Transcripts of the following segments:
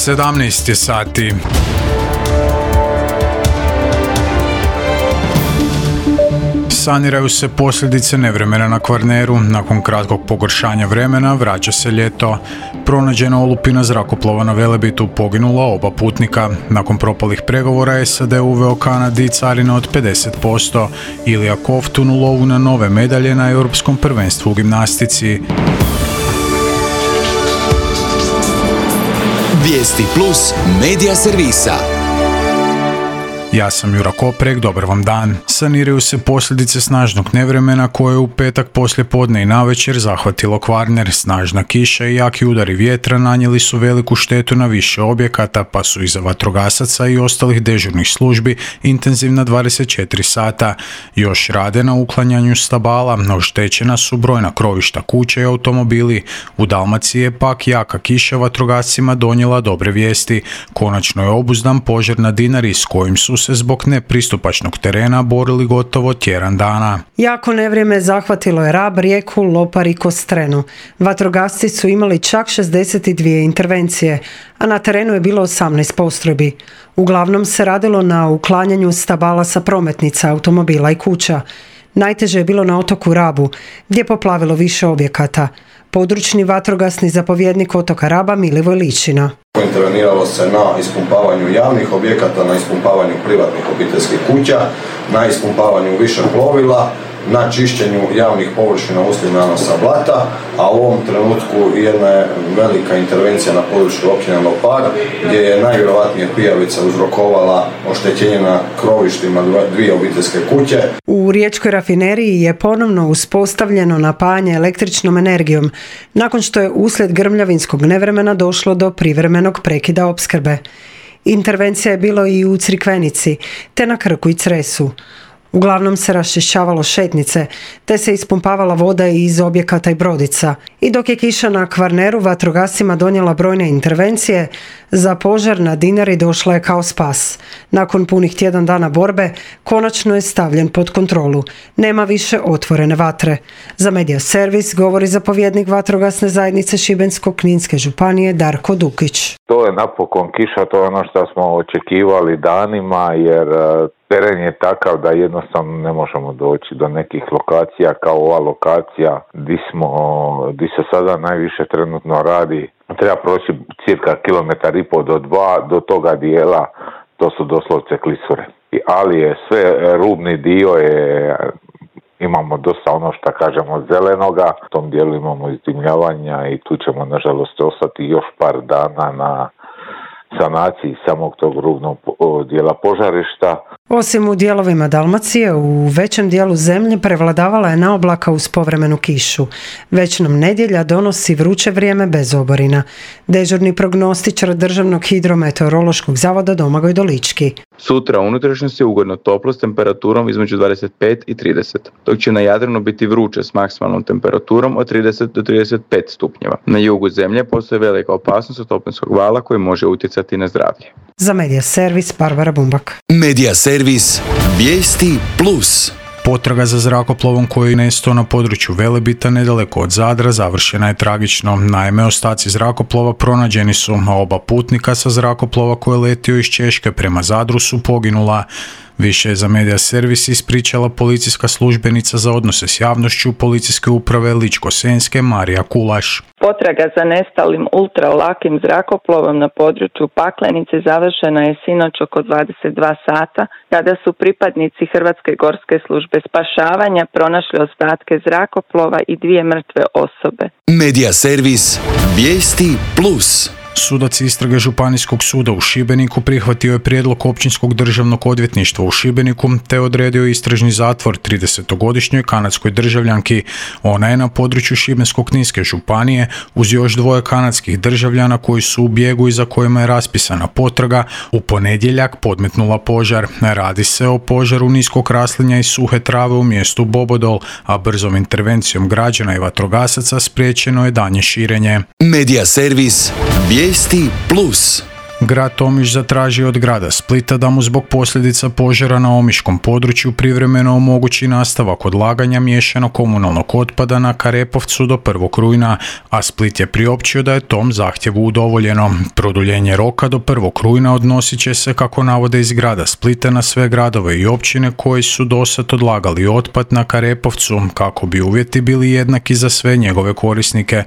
17 je sati. Saniraju se posljedice nevremena na Kvarneru. Nakon kratkog pogoršanja vremena vraća se ljeto. Pronađena olupina zrakoplova na Velebitu, poginula oba putnika. Nakon propalih pregovora SAD uveo Kanadi carine od 50%. Ilija Kovtun u lovu na nove medalje na Europskom prvenstvu u gimnastici. Vijesti plus medija servisa. Ja sam Jura Koprek, dobar vam dan. Saniraju se posljedice snažnog nevremena koje je u petak poslije podne i navečer zahvatilo Kvarner. Snažna kiša i jaki udari vjetra nanijeli su veliku štetu na više objekata, pa su iza vatrogasaca i ostalih dežurnih službi intenzivna 24 sata. Još rade na uklanjanju stabala, oštećena su brojna krovišta kuća i automobili. U Dalmaciji je pak jaka kiša vatrogascima donijela dobre vijesti. Konačno je obuzdan požar na Dinari s kojim su se zbog nepristupačnog terena borili gotovo tjedan dana. Jako nevrijeme zahvatilo je Rab, Rijeku, Lopar i Kostrenu. Vatrogasci su imali čak 62 intervencije, a na terenu je bilo 18 postrojbi. Uglavnom se radilo na uklanjanju stabala sa prometnica, automobila i kuća. Najteže je bilo na otoku Rabu, gdje je poplavilo više objekata. Područni vatrogasni zapovjednik otoka Raba Milivoj Ličina. Interveniralo se na ispumpavanju javnih objekata, na ispumpavanju privatnih obiteljskih kuća, na ispumpavanju više plovila, na čišćenju javnih površina uslijed nanosa blata, a u ovom trenutku jedna je velika intervencija na području općine Lopar, gdje je najvjerojatnije pijavica uzrokovala oštećenje na krovištima dvije obiteljske kuće. U riječkoj rafineriji je ponovno uspostavljeno napajanje električnom energijom, nakon što je uslijed grmljavinskog nevremena došlo do privremenog prekida opskrbe. Intervencija je bilo i u Crikvenici, te na Krku i Cresu. Uglavnom se raščišćavalo šetnice, te se ispumpavala voda iz objekata i brodica. I dok je kiša na Kvarneru vatrogascima donijela brojne intervencije, za požar na Dinari došla je kao spas. Nakon punih tjedan dana borbe, konačno je stavljen pod kontrolu. Nema više otvorene vatre. Za Medija servis govori zapovjednik vatrogasne zajednice Šibensko-kninske županije Darko Dukić. To je napokon kiša, to je ono što smo očekivali danima, jer teren je takav da jednostavno ne možemo doći do nekih lokacija kao ova lokacija gdje se sada najviše trenutno radi. Treba proći cirka 1,5 kilometra do 2 do toga dijela, to su doslovce klisure. Ali je sve rubni dio imamo dosta ono što kažemo zelenoga, u tom dijelu imamo izdimljavanja i tu ćemo nažalost ostati još par dana na sanaciji samog tog rubnog dijela požarišta. Osim u dijelovima Dalmacije, u većem dijelu zemlje prevladavala je naoblaka uz povremenu kišu. Već nam nedjelja donosi vruće vrijeme bez oborina. Dežurni prognostičar Državnog hidrometeorološkog zavoda Domagoj Dolički. Sutra u unutrašnjosti je ugodno toplo s temperaturom između 25 i 30, dok će na Jadranu biti vruće s maksimalnom temperaturom od 30 do 35 stupnjeva. Na jugu zemlje postoji velika opasnost od toplinskog vala koji može utjecati na zdravlje. Za Medija servis Barbara Bumbak. Medija servis Vijesti plus. Potraga za zrakoplovom koji je nestao na području Velebita nedaleko od Zadra završena je tragično. Naime, ostaci zrakoplova pronađeni su, a oba putnika sa zrakoplova koji je letio iz Češke prema Zadru su poginula. Više je za Medija servis ispričala policijska službenica za odnose s javnošću Policijske uprave Ličko-senjske Marija Kulaš. Potraga za nestalim ultralakim zrakoplovom na području Paklenice završena je sinoć oko 22 sata, kada su pripadnici Hrvatske gorske službe spašavanja pronašli ostatke zrakoplova i 2 mrtve osobe. Medija servis Vijesti plus. Sudac istrage Županijskog suda u Šibeniku prihvatio je prijedlog Općinskog državnog odvjetništva u Šibeniku te odredio istražni zatvor 30-godišnjoj kanadskoj državljanki. Ona je na području Šibensko-kninske županije uz još 2 kanadskih državljana koji su u bijegu i za kojima je raspisana potraga u ponedjeljak podmetnula požar. Radi se o požaru niskog raslinja i suhe trave u mjestu Bobodol, a brzom intervencijom građana i vatrogasaca spriječeno je daljnje širenje. Medija servis Vijesti plus. Grad Omiš zatražio od grada Splita da mu zbog posljedica požara na omiškom području privremeno omogući nastavak odlaganja miješanog komunalnog otpada na Karepovcu do 1. rujna, a Split je priopćio da je tom zahtjevu udovoljeno. Produljenje roka do 1. rujna odnosit će se, kako navode iz grada Splita, na sve gradove i općine koji su dosad odlagali otpad na Karepovcu, kako bi uvjeti bili jednaki za sve njegove korisnike.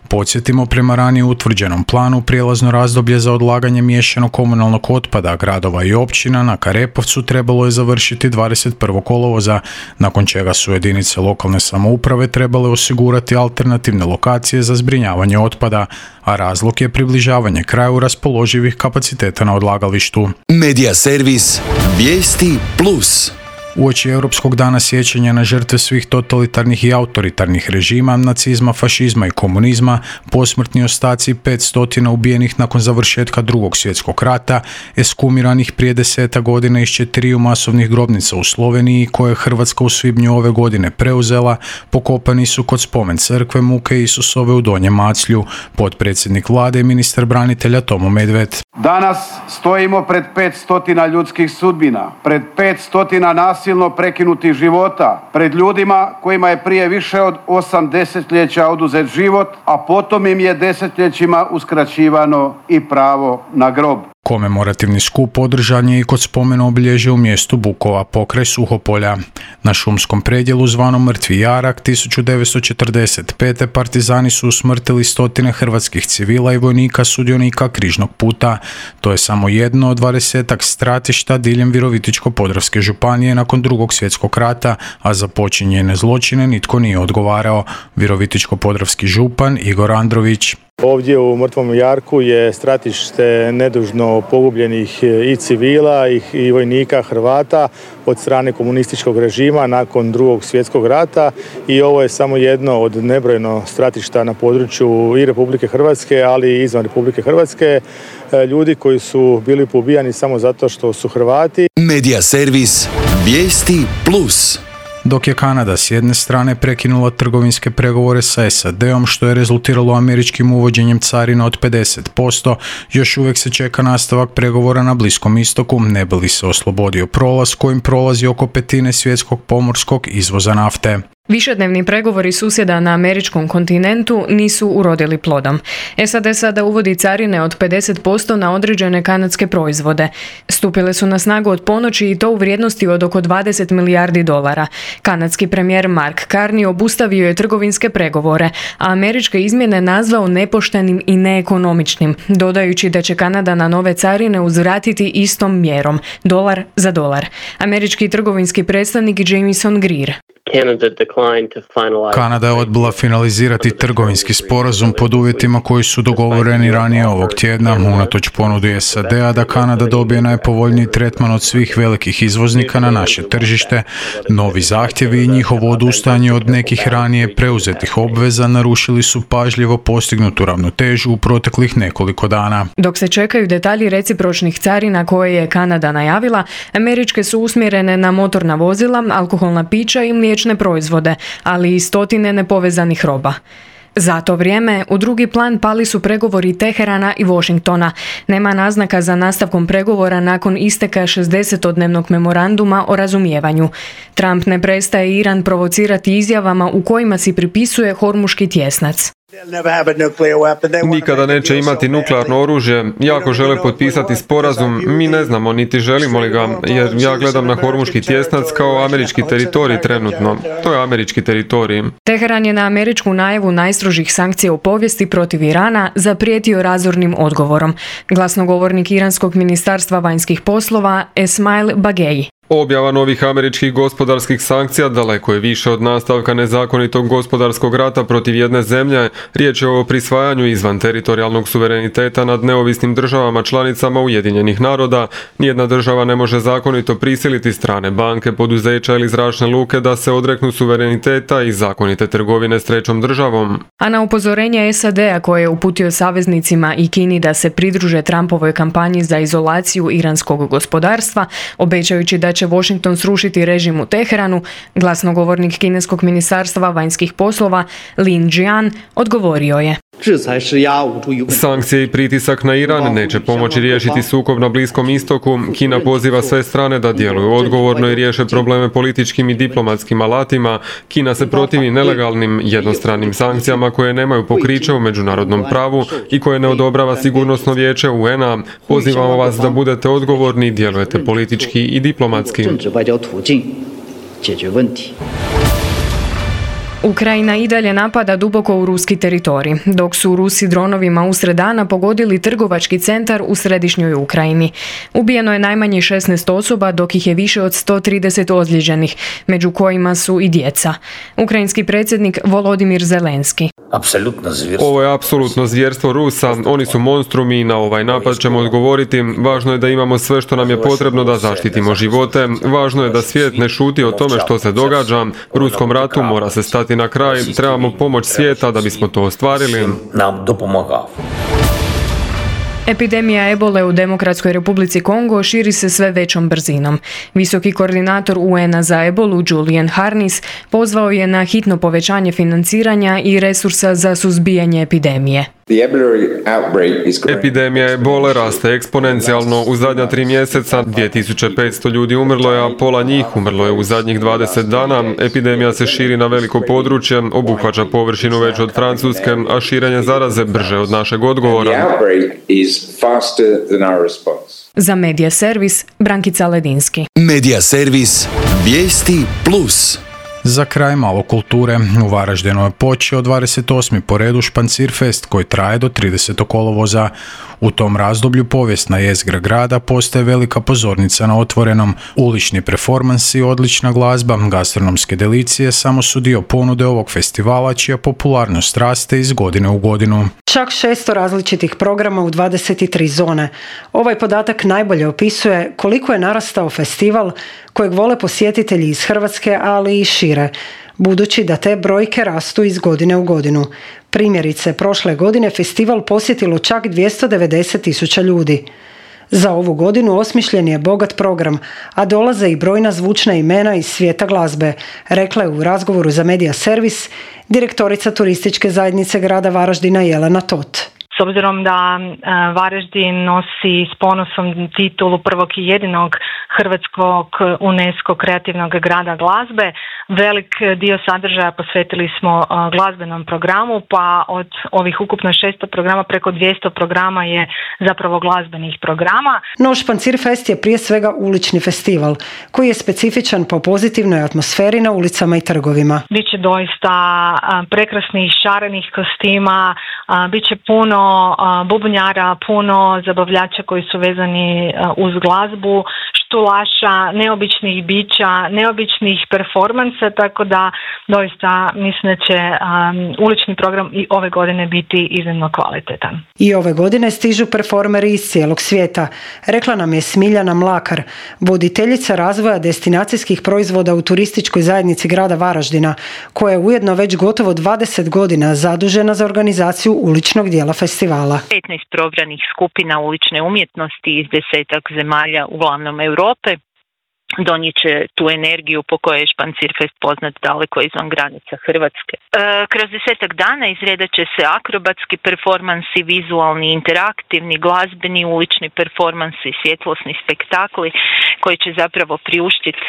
Podsjetimo, prema ranije utvrđenom planu, prijelazno razdoblje za odlaganje miješanog komunalnog otpada gradova i općina na Karepovcu trebalo je završiti 21. kolovoza, nakon čega su jedinice lokalne samouprave trebale osigurati alternativne lokacije za zbrinjavanje otpada, a razlog je približavanje kraju raspoloživih kapaciteta na odlagalištu. Medija servis Vijesti Plus. Uoči Europskog dana sjećanja na žrtve svih totalitarnih i autoritarnih režima, nacizma, fašizma i komunizma, posmrtni ostaci 500 ubijenih nakon završetka Drugog svjetskog rata, eskumiranih prije 10 godina iz 4 masovnih grobnica u Sloveniji, koje je Hrvatska u svibnju ove godine preuzela, pokopani su kod spomen crkve Muke Isusove u Donjem Maclju, potpredsjednik vlade i ministar branitelja Tomo Medved. Danas stojimo pred 500 ljudskih sudbina, pred 500 nasilno prekinutih života, pred ljudima kojima je prije više od 8 desetljeća oduzet život, a potom im je desetljećima uskraćivano i pravo na grob. Komemorativni skup održan je i kod spomen obilježja u mjestu Bukova pokraj Suhopolja. Na šumskom predjelu zvanom Mrtvi jarak 1945. partizani su usmrtili stotine hrvatskih civila i vojnika sudionika križnog puta. To je samo jedno od 20-ak stratišta diljem Virovitičko-podravske županije nakon Drugog svjetskog rata, a za počinjene zločine nitko nije odgovarao. Virovitičko-podravski župan Igor Andrović. Ovdje u Mrtvom jarku je stratište nedužno pogubljenih i civila i vojnika Hrvata od strane komunističkog režima nakon Drugog svjetskog rata, i ovo je samo jedno od nebrojeno stratišta na području i Republike Hrvatske, ali i izvan Republike Hrvatske. Ljudi koji su bili poubijani samo zato što su Hrvati. Medija servis Vijesti Plus. Dok je Kanada s jedne strane prekinula trgovinske pregovore sa SAD-om, što je rezultiralo američkim uvođenjem carina od 50%, još uvijek se čeka nastavak pregovora na Bliskom istoku, ne bi li se oslobodio prolaz kojim prolazi oko 1/5 svjetskog pomorskog izvoza nafte. Višednevni pregovori susjeda na američkom kontinentu nisu urodili plodom. SAD sada uvodi carine od 50% na određene kanadske proizvode. Stupile su na snagu od ponoći i to u vrijednosti od oko $20 milijardi. Kanadski premijer Mark Carney obustavio je trgovinske pregovore, a američke izmjene nazvao nepoštenim i neekonomičnim, dodajući da će Kanada na nove carine uzvratiti istom mjerom, dolar za dolar. Američki trgovinski predstavnik Jamieson Greer. Kanada je odbila finalizirati trgovinski sporazum pod uvjetima koji su dogovoreni ranije ovog tjedna, unatoč ponudi SAD-a da Kanada dobije najpovoljniji tretman od svih velikih izvoznika na naše tržište. Novi zahtjevi i njihovo odustajanje od nekih ranije preuzetih obveza narušili su pažljivo postignutu ravnotežu u proteklih nekoliko dana. Dok se čekaju detalji recipročnih carina koje je Kanada najavila, američke su usmjerene na motorna vozila, alkoholna pića i mliječne proizvode, ali i stotine nepovezanih roba. Za to vrijeme u drugi plan pali su pregovori Teherana i Washingtona. Nema naznaka za nastavkom pregovora nakon isteka 60-dnevnog memoranduma o razumijevanju. Trump ne prestaje Iran provocirati izjavama u kojima si pripisuje Hormuški tjesnac. Nikada neće imati nuklearno oružje, jako žele potpisati sporazum, mi ne znamo niti želimo li ga, jer ja gledam na Hormuški tjesnac kao američki teritorij trenutno. To je američki teritorij. Teheran je na američku najavu najstrožih sankcija u povijesti protiv Irana zaprijetio razornim odgovorom. Glasnogovornik Iranskog ministarstva vanjskih poslova Esmail Bagei. Objava novih američkih gospodarskih sankcija daleko je više od nastavka nezakonitog gospodarskog rata protiv jedne zemlje. Riječ je o prisvajanju izvan teritorijalnog suvereniteta nad neovisnim državama članicama Ujedinjenih naroda. Nijedna država ne može zakonito prisiliti strane banke, poduzeća ili zračne luke da se odreknu suvereniteta i zakonite trgovine s trećom državom. A na upozorenje SAD-a koje je uputio saveznicima i Kini da se pridruže Trumpovoj kampanji za izolaciju iranskog gospodarstva, obećajući da će Washington srušiti režim u Teheranu, glasnogovornik kineskog ministarstva vanjskih poslova Lin Jian odgovorio je. Sankcije i pritisak na Iran neće pomoći riješiti sukob na Bliskom istoku. Kina poziva sve strane da djeluju odgovorno i riješe probleme političkim i diplomatskim alatima. Kina se protivi nelegalnim jednostranim sankcijama koje nemaju pokriće u međunarodnom pravu i koje ne odobrava Sigurnosno vijeće UN-a. Pozivamo vas da budete odgovorni i djelujete politički i diplomatski. Ukrajina i dalje napada duboko u ruski teritorij, dok su Rusi dronovima usred dana pogodili trgovački centar u središnjoj Ukrajini. Ubijeno je najmanje 16 osoba, dok ih je više od 130 ozlijeđenih, među kojima su i djeca. Ukrajinski predsjednik Volodimir Zelenski. Ovo je apsolutno zvjerstvo Rusa, oni su monstrumi i na ovaj napad ćemo odgovoriti. Važno je da imamo sve što nam je potrebno da zaštitimo živote. Važno je da svijet ne šuti o tome što se događa. Ruskom ratu mora se stati na kraj. Trebamo pomoć svijeta da bismo to ostvarili. Epidemija ebole u Demokratskoj Republici Kongo širi se sve većom brzinom. Visoki koordinator UN-a za ebolu Julian Harness pozvao je na hitno povećanje financiranja i resursa za suzbijanje epidemije. Epidemija ebole raste eksponencijalno. U zadnja 3 mjeseca 2500 ljudi umrlo je, a pola njih umrlo je u zadnjih 20 dana. Epidemija se širi na veliko područje, obuhvaća površinu veću od Francuske, a širenje zaraze brže od našeg odgovora. Za Medija servis, Brankica Ledinski. Medija servis, vijesti plus. Za kraj malo kulture. U Varaždinu je počeo 28. po redu Špancirfest koji traje do 30. kolovoza. U tom razdoblju povijesna jezgra grada postaje velika pozornica na otvorenom. Ulični performansi, odlična glazba, gastronomske delicije samo su dio ponude ovog festivala čija popularnost raste iz godine u godinu. Čak 600 različitih programa u 23 zone. Ovaj podatak najbolje opisuje koliko je narastao festival kojeg vole posjetitelji iz Hrvatske, ali i šire, budući da te brojke rastu iz godine u godinu. Primjerice, prošle godine festival posjetilo čak 290.000 ljudi. Za ovu godinu osmišljen je bogat program, a dolaze i brojna zvučna imena iz svijeta glazbe, rekla je u razgovoru za Medija servis direktorica turističke zajednice grada Varaždina Jelena Tot. S obzirom da Varaždin nosi s ponosom titulu prvog i jedinog hrvatskog UNESCO kreativnog grada glazbe, velik dio sadržaja posvetili smo glazbenom programu, pa od ovih ukupno 600 programa preko 200 programa je zapravo glazbenih programa. No, Špancirfest je prije svega ulični festival koji je specifičan po pozitivnoj atmosferi na ulicama i trgovima. Biće doista prekrasnih šarenih kostima, biće puno bubnjara, puno zabavljača koji su vezani uz glazbu, štulaša, neobičnih bića, neobičnih performansa, tako da doista mislim da će ulični program i ove godine biti iznimno kvalitetan. I ove godine stižu performeri iz cijelog svijeta, rekla nam je Smiljana Mlakar, voditeljica razvoja destinacijskih proizvoda u turističkoj zajednici grada Varaždina, koja je ujedno već gotovo 20 godina zadužena za organizaciju uličnog dijela festivala. 15 probranih skupina ulične umjetnosti iz 10 zemalja, uglavnom Europe, donijet će tu energiju po kojoj je Špancirfest poznat daleko izvan granica Hrvatske. Kroz 10 dana izredat će se akrobatski performansi, vizualni, interaktivni, glazbeni, ulični performansi, svjetlosni spektakli koji će zapravo priuštiti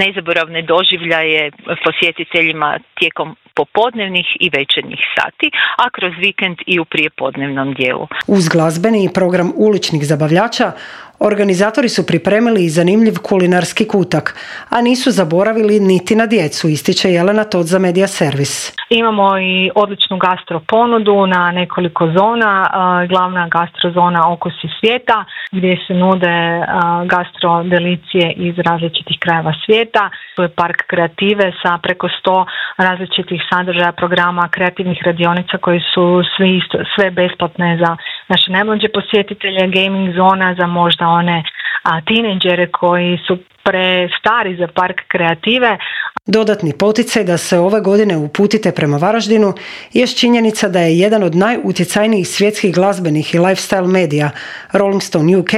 nezaboravne doživljaje posjetiteljima tijekom popodnevnih i večernjih sati, a kroz vikend i u prijepodnevnom dijelu. Uz glazbeni program uličnih zabavljača, organizatori su pripremili i zanimljiv kulinarski kutak, a nisu zaboravili niti na djecu, ističe Jelena Tot za Medija servis. Imamo i odličnu gastro ponudu na nekoliko zona, glavna gastrozona Okusi svijeta, gdje se nude gastro delicije iz različitih krajeva svijeta. Tu je park kreative sa preko 100 različitih sadržaja, programa, kreativnih radionica koji su sve besplatne za naše najmlađe posjetitelje, gaming zona za možda one tinejdžere koji su prestari za park kreative. Dodatni poticaj da se ove godine uputite prema Varaždinu je činjenica da je jedan od najutjecajnijih svjetskih glazbenih i lifestyle medija, Rolling Stone UK,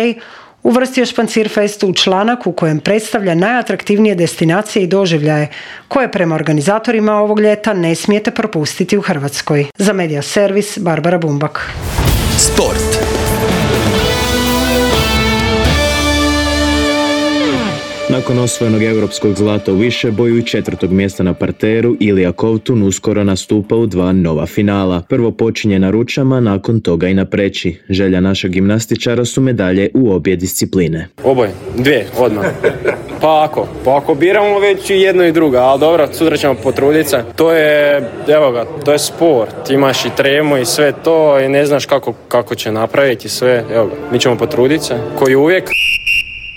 uvrstio Špancirfest u članak u kojem predstavlja najatraktivnije destinacije i doživljaje koje prema organizatorima ovog ljeta ne smijete propustiti u Hrvatskoj. Za Media Servis, Barbara Bumbak. Sport. Nakon osvojenog europskog zlata u višeboju i 4. mjesta na parteru, Ilija Kovtun uskoro nastupa u 2 nova finala. Prvo počinje na ručama, nakon toga i na preći. Želja našeg gimnastičara su medalje u obje discipline. Oboje, 2, odmah. Pa ako biramo već i jedno i drugo, ali dobro, sutra ćemo potruditi se. To je sport, imaš i tremu i sve to i ne znaš kako će napraviti sve, mi ćemo potruditi se, koji uvijek.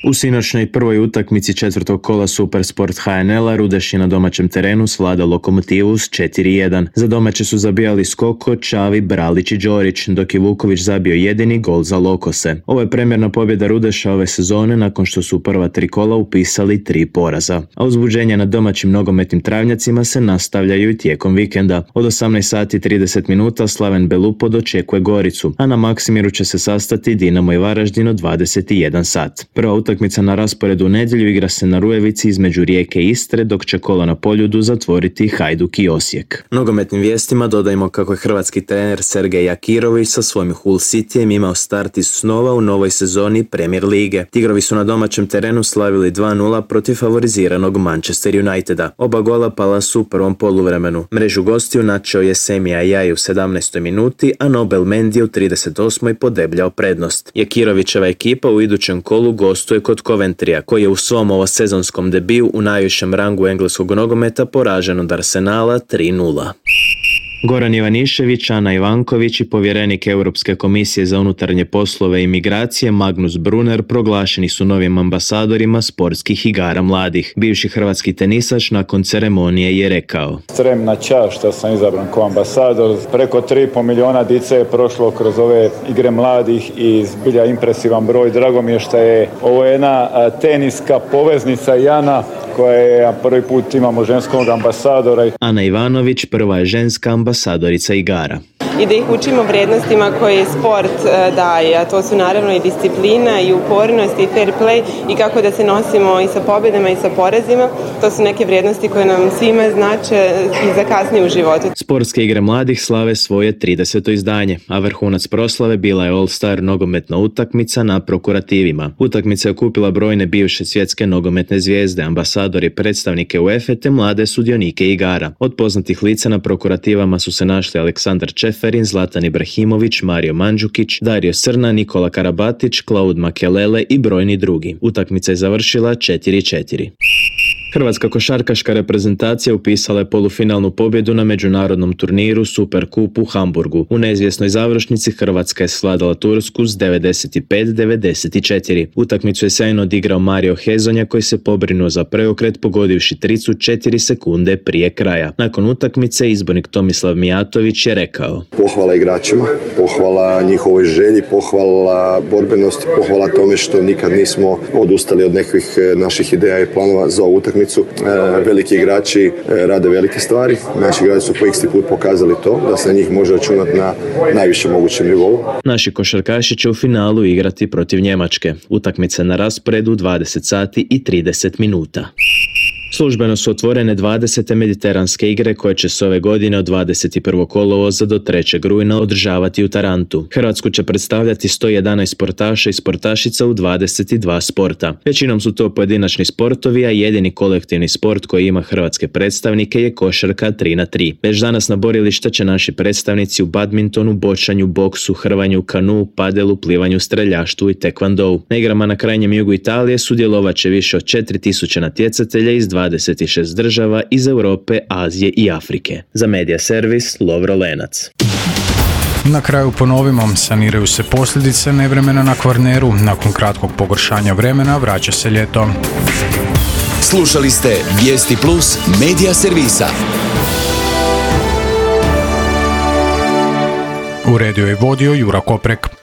U sinoćnoj prvoj utakmici 4. kola Supersport HNL-a Rudeš je na domaćem terenu svladao Lokomotivu s 4-1. Za domaće su zabijali Skoko, Čavi, Bralić i Đorić, dok je Vuković zabio jedini gol za Lokose. Ovo je premjerna pobjeda Rudeša ove sezone nakon što su u prva 3 kola upisali 3 poraza. A uzbuđenja na domaćim nogometnim travnjacima se nastavljaju i tijekom vikenda. Od 18:30 Slaven Belupo dočekuje Goricu, a na Maksimiru će se sastati Dinamo i Varaždin od 21 sat. Prva utakmica na rasporedu u nedjelju igra se na Rujevici između Rijeke i Istre, dok će kolo na Poljudu zatvoriti Hajduk i Osijek. Nogometnim vijestima dodajmo kako je hrvatski trener Sergej Jakirović sa svojim Hull Cityjem imao start iz snova u novoj sezoni Premier lige. Tigrovi su na domaćem terenu slavili 2-0 protiv favoriziranog Manchester Uniteda. Oba gola pala su u prvom poluvremenu. Mrežu gostiju načeo je Semi Ajaj u 17. minuti, a Nobel Mendy u 38. podebljao prednost. Jakirovićeva ekipa u idućem kolu gostuje kod Coventrya, koji je u svom ovosezonskom debiju u najvišem rangu engleskog nogometa poražen od Arsenala 3-0. Goran Ivanišević, Ana Ivanković i povjerenik Europske komisije za unutarnje poslove i migracije Magnus Brunner proglašeni su novim ambasadorima sportskih igara mladih. Bivši hrvatski tenisač nakon ceremonije je rekao: Ekstremna čast što sam izabran kao ambasador. Preko 3,5 milijuna dice je prošlo kroz ove igre mladih i zbilja impresivan broj. Drago mi je što je ovo jedna teniska poveznica Jana koja je prvi put imamo ženskog ambasadora. Ana Ivanović prva je ženska ambasadorica igara. I da ih učimo vrijednostima koje sport daje, a to su naravno i disciplina i upornost i fair play i kako da se nosimo i sa pobjedama i sa porazima. To su neke vrijednosti koje nam svima znače i za kasnije u životu. Sportske igre mladih slave svoje 30. izdanje, a vrhunac proslave bila je All-Star nogometna utakmica na Prokurativima. Utakmica je okupila brojne bivše svjetske nogometne zvijezde, ambasadori, predstavnike UEFA te mlade sudionike igara. Od poznatih lica na Prokurativama su se našli Aleksandar Čeferin, Zlatan Ibrahimović, Mario Mandžukić, Dario Srna, Nikola Karabatić, Claude Makelele i brojni drugi. Utakmica je završila 4-4. Hrvatska košarkaška reprezentacija upisala je polufinalnu pobjedu na međunarodnom turniru Superkup u Hamburgu. U neizvjesnoj završnici Hrvatska je svladala Tursku s 95-94. Utakmicu je sjajno odigrao Mario Hezonja koji se pobrinuo za preokret pogodivši tricu 4 sekunde prije kraja. Nakon utakmice izbornik Tomislav Mijatović je rekao: Pohvala igračima, pohvala njihovoj želji, pohvala borbenosti, pohvala tome što nikad nismo odustali od nekih naših ideja i planova za ovu utakmicu. Veliki igrači rade velike stvari. Naši igrači su po isti put pokazali to, da se na njih može računati na najvišem mogućem nivou. Naši košarkaši će u finalu igrati protiv Njemačke. Utakmica na rasporedu 20:30. Službeno su otvorene 20. mediteranske igre koje će se ove godine od 21. kolovoza do 3. rujna održavati u Tarantu. Hrvatsku će predstavljati 111 sportaša i sportašica u 22 sporta. Većinom su to pojedinačni sportovi, a jedini kolektivni sport koji ima hrvatske predstavnike je košarka 3x3. Već danas na borilišta će naši predstavnici u badmintonu, bočanju, boksu, hrvanju, kanu, padelu, plivanju, streljaštvu i tekvandou. Na igrama na krajnjem jugu Italije sudjelovat će više od 4000 natjecatelja iz 26 država iz Europe, Azije i Afrike. Za Media Servis, Lovro Lenac. Na kraju ponovimo, saniraju se posljedice nevremena na Kvarneru. Nakon kratkog pogoršanja vremena vraća se ljeto. Slušali ste Vijesti Plus Media Servisa. Uredio i vodio Jura Koprek.